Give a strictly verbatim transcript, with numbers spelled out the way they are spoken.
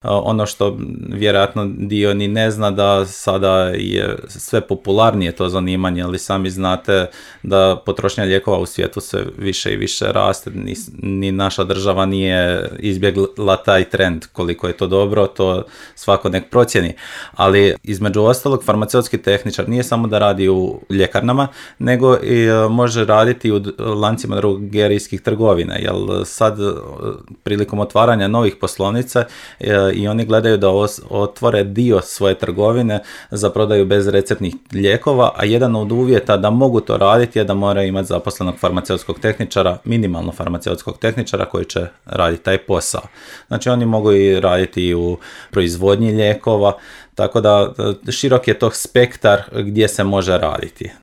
Ono što vjerojatno dio ni ne zna, da sada je sve popularnije to zanimanje, ali sami znate da potrošnja lijekova u svijetu sve više i više raste, ni, ni naša država nije izbjegla taj trend. Koliko je to dobro, to svako nek procjeni. Ali između ostalog, farmaceutski tehničar nije samo da radi u ljekarnama, nego i može raditi u lancima drogerijskih trgovina, jer sad prilikom otvaranja novih poslovnica i oni gledaju da otvore dio svoje trgovine za prodaju bezreceptnih lijekova, a jedan od uvjeta da mogu to raditi je da moraju imati zaposlenog farmaceutskog tehničara, minimalno farmaceutskog tehničara koji će raditi taj posao. Znači oni mogu i raditi u proizvodnji lijekova, tako da širok je to spektar gdje se može raditi.